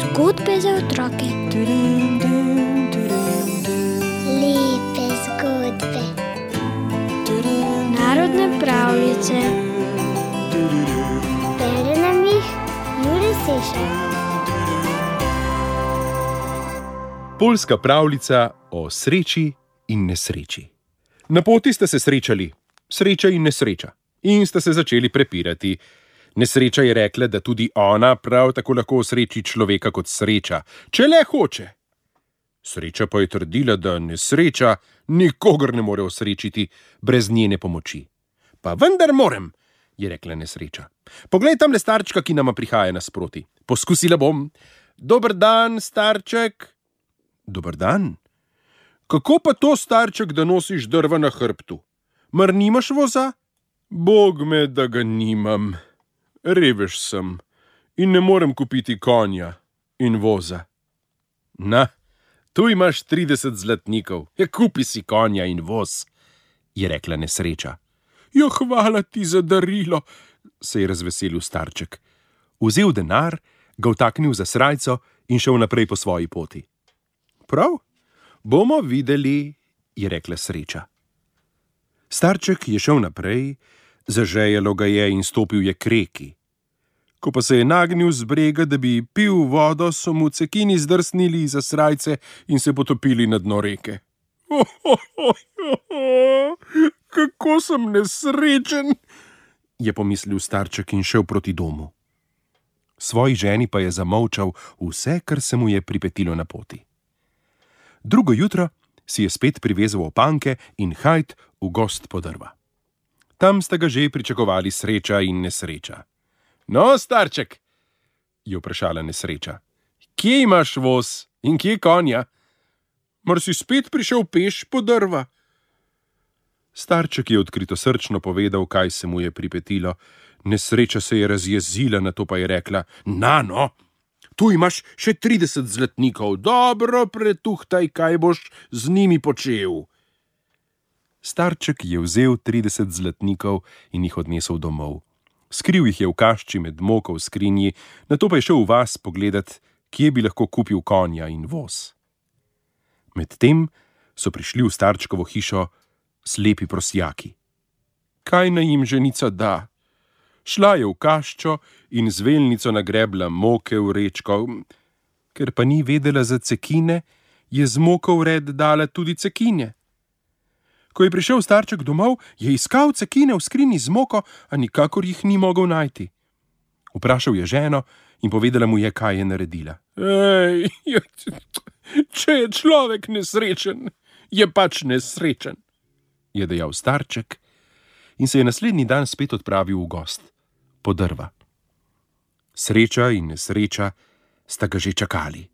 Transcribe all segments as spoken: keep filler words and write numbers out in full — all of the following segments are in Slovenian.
Zgodbe za otroke. Lepe zgodbe. Narodne pravljice. Bere nam jih Jure Sešar. Poljska pravljica o sreči in nesreči. Na poti sta se srečali, sreča in nesreča, in sta se začeli prepirati. Nesreča je rekla, da tudi ona prav tako lahko osreči človeka kot sreča, če le hoče. Sreča pa je trdila, da nesreča nikogar ne more osrečiti brez njene pomoči. Pa vendar morem, je rekla nesreča. Poglej tamle starčka, ki nama prihaja nasproti. Poskusila bom. Dober dan, starček. Dober dan. Kako pa to, starček, da nosiš drva na hrbtu? Mar nimaš voza? Bog me, da ga nimam. Revež sem in ne morem kupiti konja in voza. Na, tu imaš trideset zlatnikov, ja, kupi si konja in voz, je rekla nesreča. Jo, hvala ti za darilo, se je razveselil starček. Vzel denar, ga vtaknil za srajco in šel naprej po svoji poti. Prav, bomo videli, je rekla sreča. Starček je šel naprej, zažejalo ga je in stopil je k reki. Ko pa se je nagnil z brega, da bi pil vodo, so mu cekini zdrsnili iza srajce in se potopili na dno reke. Oh, oh, oh, oh, kako sem nesrečen, je pomislil starček in šel proti domu. Svoji ženi pa je zamolčal vse, kar se mu je pripetilo na poti. Drugo jutro si je spet privezal opanke in hajt v gozd po drva. Tam sta ga že pričakovali sreča in nesreča. No, starček, je vprašala nesreča, kje imaš voz in kje konja? Mar si spet prišel peš po drva? Starček je odkritosrčno povedal, kaj se mu je pripetilo. Nesreča se je razjezila, nato pa je rekla, na no, tu imaš še trideset zlatnikov, dobro pretuhtaj, kaj boš z njimi počel. Starček je vzel trideset zlatnikov in jih odnesel domov. Skril jih je v kašči med moko v skrinji, nato pa je šel v vas pogledat, kje bi lahko kupil konja in voz. Medtem so prišli v starčkovo hišo slepi prosjaki. Kaj naj jim ženica da? Šla je v kaščo in z veljnico nagrebla moke v rečko. Ker pa ni vedela za cekine, je z moko v red dala tudi cekine. Ko je prišel starček domov, je iskal cekine v skrinji z moko, a nikakor jih ni mogel najti. Vprašal je ženo in povedala mu je, kaj je naredila. Ej, če je človek nesrečen, je pač nesrečen, je dejal starček in se je naslednji dan spet odpravil v gozd, po drva. Sreča in nesreča sta ga že čakali.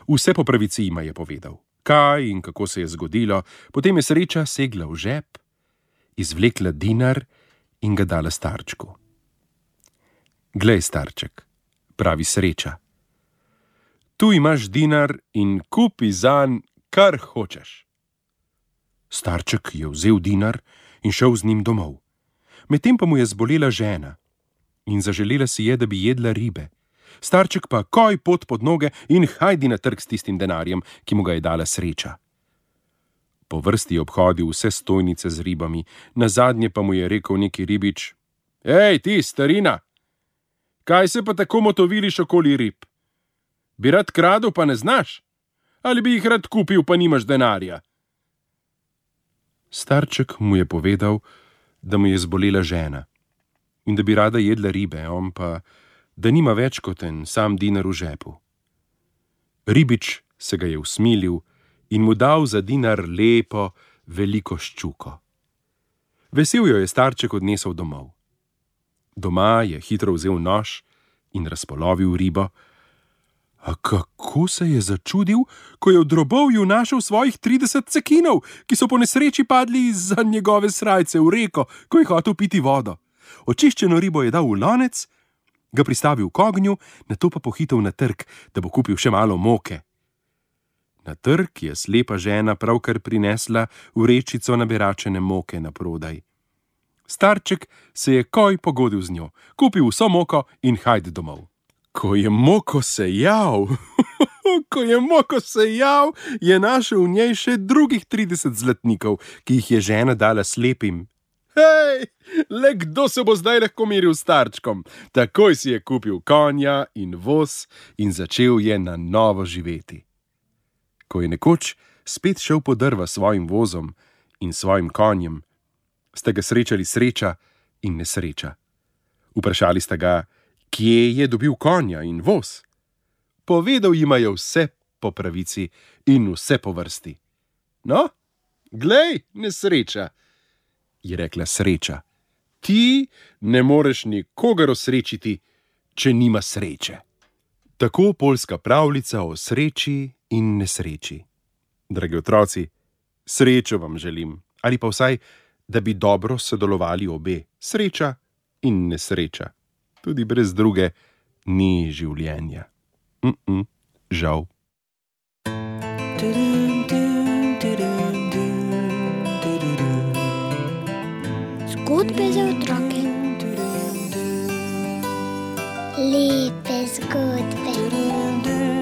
Vse po pravici jima je povedal. Kaj in kako se je zgodilo, potem je sreča segla v žep, izvlekla dinar in ga dala starčku. Glej, starček, pravi sreča, tu imaš dinar in kupi zanj, kar hočeš. Starček je vzel dinar in šel z njim domov. Medtem pa mu je zbolela žena in zaželela si je, da bi jedla ribe. Starček pa koj pot pod noge in hajdi na trg s tistim denarjem, ki mu ga je dala sreča. Po vrsti je obhodil vse stojnice z ribami, nazadnje pa mu je rekel neki ribič, ej, ti, starina, kaj se pa tako motoviliš okoli rib? Bi rad kradel, pa ne znaš? Ali bi jih rad kupil, pa nimaš denarja? Starček mu je povedal, da mu je zbolela žena in da bi rada jedla ribe, on pa da nima več kot en sam dinar v žepu. Ribič se ga je usmilil in mu dal za dinar lepo, veliko ščuko. Vesel jo je starček odnesel domov. Doma je hitro vzel nož in razpolovil ribo. A kako se je začudil, ko je v drobovju našel svojih trideset cekinov, ki so po nesreči padli izza njegove srajce v reko, ko je hotel piti vodo. Očiščeno ribo je dal v lonec, ga pristavil k ognju, nato pa pohitel na trg, da bo kupil še malo moke. Na trg je slepa žena pravkar prinesla vrečico naberačene moke na prodaj. Starček se je koj pogodil z njo, kupil vso moko in hajde domov. Ko je moko sejal, ko je moko sejal, je našel v njej še drugih trideset zlatnikov, ki jih je žena dala slepim. Hej, le kdo se bo zdaj lahko meril s starčkom? Takoj si je kupil konja in voz in začel je na novo živeti. Ko je nekoč spet šel po drva s svojim vozom in svojim konjem, sta ga srečali sreča in nesreča. Vprašali sta ga, kje je dobil konja in voz. Povedal jima je vse po pravici in vse po vrsti. No, glej, nesreča, je rekla sreča. Ti ne moreš nikogar osrečiti, če nima sreče. Tako poljska pravljica o sreči in nesreči. Dragi otroci, srečo vam želim, ali pa vsaj, da bi dobro sodelovali obe, sreča in nesreča. Tudi brez druge ni življenja. Mm-mm, žal. Zgodbe za otroke. Lepe zgodbe.